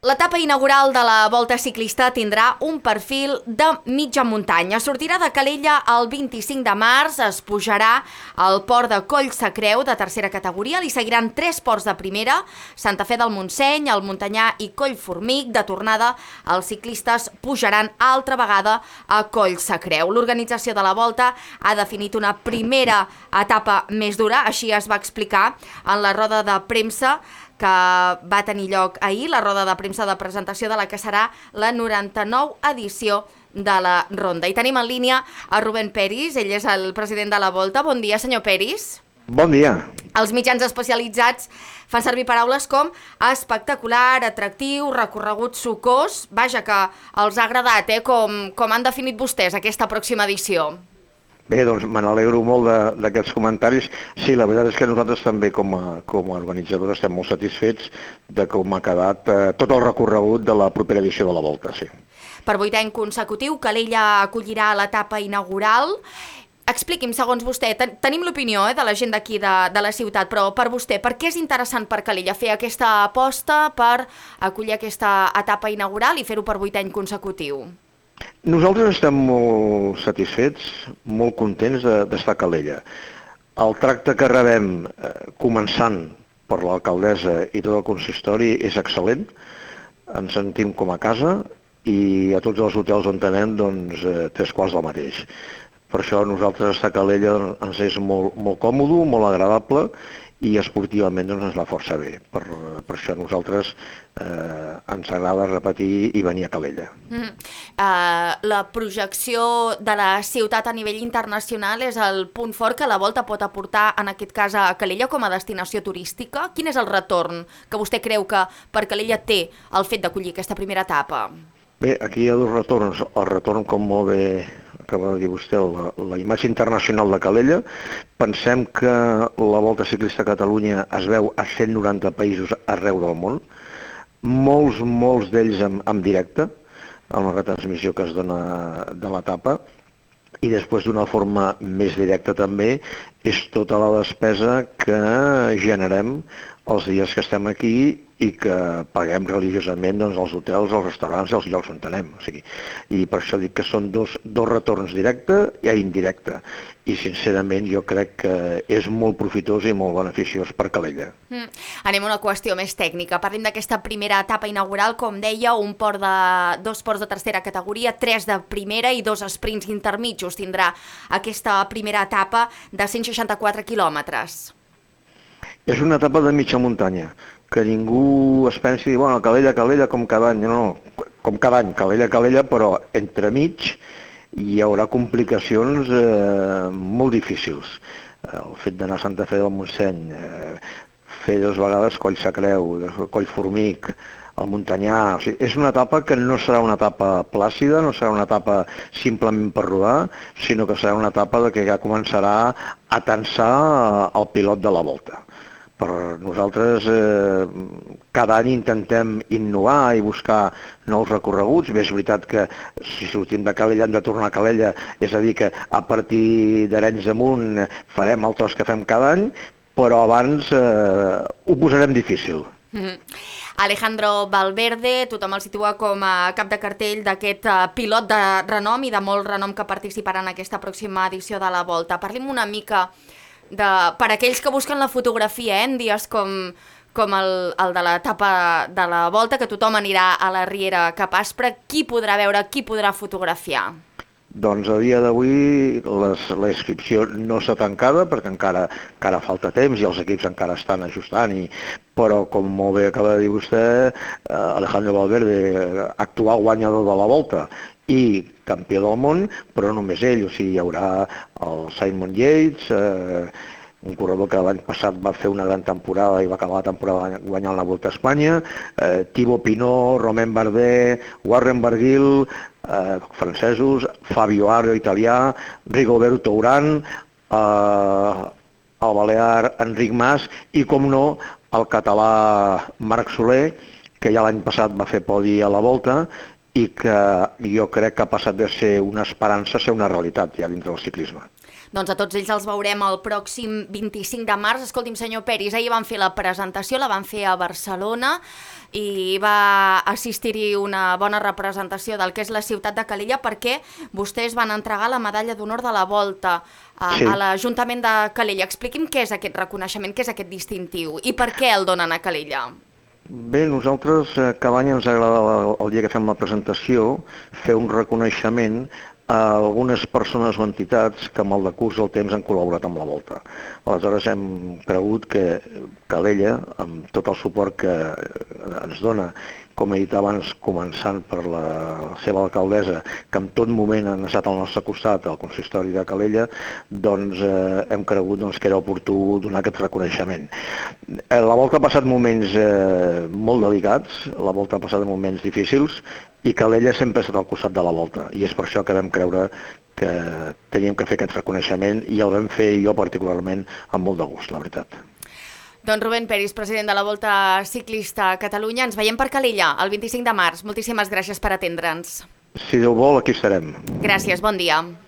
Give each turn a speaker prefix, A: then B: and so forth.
A: L'etapa inaugural de la Volta Ciclista tindrà un perfil de mitja muntanya. Sortirà de Calella el 25 de març, es pujarà al port de Collsacreu, de tercera categoria, li seguiran 3 ports de primera, Santa Fe del Montseny, el Muntanyà i Collformic. De tornada, els ciclistes pujaran altra vegada a Collsacreu. L'organització de la Volta ha definit una primera etapa més dura, així es va explicar en la roda de premsa que va tenir lloc ahir, la roda de premsa de presentació de la que serà la 99 edició de la Ronda. I tenim en línia a Rubén Peris, ell és el president de la Volta. Bon dia, senyor Peris.
B: Bon dia.
A: Els mitjans especialitzats fan servir paraules com espectacular, atractiu, recorregut sucós. Vaja, que els ha agradat, com han definit vostès aquesta pròxima edició.
B: Bé, doncs me n'alegro molt d'aquests comentaris. Sí, la veritat és que nosaltres també com a organitzadors estem molt satisfets de com ha quedat tot el recorregut de la propera edició de la Volta, sí.
A: Per 8 any consecutiu, Calella acollirà l'etapa inaugural. Expliqui'm, segons vostè, tenim l'opinió de la gent d'aquí de la ciutat, però per vostè, per què és interessant per Calella fer aquesta aposta per acollir aquesta etapa inaugural i fer-ho per 8 anys consecutiu?
B: Nosaltres estem molt satisfets, molt contents d'estar a Calella. El tracte que rebem, començant per l'alcaldessa i tot el consistori, és excel·lent. Ens sentim com a casa i a tots els hotels on anem, doncs, 3 quarts del mateix. Per això nosaltres estar a Calella ens és molt còmode, molt agradable i esportivament doncs, ens va força bé. Per això a nosaltres ens agrada repetir i venir a Calella.
A: La projecció de la ciutat a nivell internacional és el punt fort que la Volta pot aportar, en aquest cas a Calella, com a destinació turística. Quin és el retorn que vostè creu que per Calella té el fet d'acollir aquesta primera etapa?
B: Bé, aquí hi ha 2 retorns. El retorn, com molt bé acaba de dir vostè, la imatge internacional de Calella. Pensem que la Volta Ciclista a Catalunya es veu a 190 països arreu del món, molts d'ells en directe, amb la retransmissió que es dona de l'etapa, i després d'una forma més directa també és tota la despesa que generem els dies que estem aquí i que paguem religiosament doncs, als hotels, als restaurants i als llocs on anem. O sigui, i per això dic que són dos retorns directe i indirecte. I sincerament jo crec que és molt profitós i molt beneficiós per Calella.
A: Anem a una qüestió més tècnica. Parlem d'aquesta primera etapa inaugural, com deia, 2 ports de tercera categoria, 3 de primera i 2 sprints intermitjos. Tindrà aquesta primera etapa de 164 quilòmetres.
B: És una etapa de mitja muntanya, que ningú es pensi, bueno, Calella, com cada any. No, com cada any, Calella, però entremig hi haurà complicacions molt difícils. El fet d'anar a Santa Fe del Montseny, fer 2 vegades Collsacreu, Collformic, el Muntanyà. O sigui, és una etapa que no serà una etapa plàcida, no serà una etapa simplement per rodar, sinó que serà una etapa que ja començarà a tensar el pilot de la Volta. Per nosaltres cada any intentem innovar i buscar nous recorreguts. Bé, és veritat que si sortim de Calella hem de tornar a Calella, és a dir que a partir d'Arenys amunt farem el tros que fem cada any, però abans ho posarem difícil.
A: Alejandro Valverde, tothom el situa com a cap de cartell d'aquest pilot de renom i de molt renom que participarà en aquesta pròxima edició de la Volta. Parlim una mica per aquells que busquen la fotografia, en dies com el de l'etapa de la Volta, que tothom anirà a la Riera cap Aspra. Qui podrà veure, qui podrà fotografiar?
B: Doncs a dia d'avui la inscripció no està tancada perquè encara falta temps i els equips encara estan ajustant, però com molt bé acaba de dir vostè, Alejandro Valverde, actual guanyador de la Volta i campió del món, però no només ell, o sigui, hi haurà el Simon Yates, un corredor que l'any passat va fer una gran temporada i va acabar la temporada guanyant la Volta a Espanya, Thibaut Pinot, Romain Bardet, Warren Barguil, francesos, Fabio Aru, italià, Rigoberto Urán, el balear Enric Mas i, com no, el català Marc Soler, que ja l'any passat va fer podi a la Volta i que jo crec que ha passat de ser una esperança a ser una realitat ja dintre del ciclisme.
A: Doncs a tots ells els veurem el pròxim 25 de març. Escolti'm, senyor Peris, ahir van fer la presentació, la van fer a Barcelona i va assistir-hi una bona representació del que és la ciutat de Calella, perquè vostès van entregar la medalla d'honor de la Volta a l'Ajuntament de Calella. Expliqui'm què és aquest reconeixement, què és aquest distintiu i per què el donen a Calella.
B: Bé, nosaltres cada any ens agrada el dia que fem la presentació fer un reconeixement a algunes persones o entitats que amb el decurs del temps han col·laborat amb la Volta. Aleshores hem cregut que Calella, amb tot el suport que ens dona, com he dit abans, començant per la seva alcaldessa, que en tot moment han estat al nostre costat, al consistori de Calella, doncs hem cregut que era oportú donar aquest reconeixement. La Volta ha passat moments molt delicats, la Volta ha passat moments difícils, i Calella sempre ha estat al costat de la Volta, i és per això que vam creure que teníem que fer aquest reconeixement, i el vam fer jo particularment amb molt de gust, la veritat.
A: Doncs Rubén Peris, president de la Volta Ciclista a Catalunya, ens veiem per Calella el 25 de març. Moltíssimes gràcies per atendre'ns.
B: Si Déu vol, aquí estarem.
A: Gràcies, bon dia.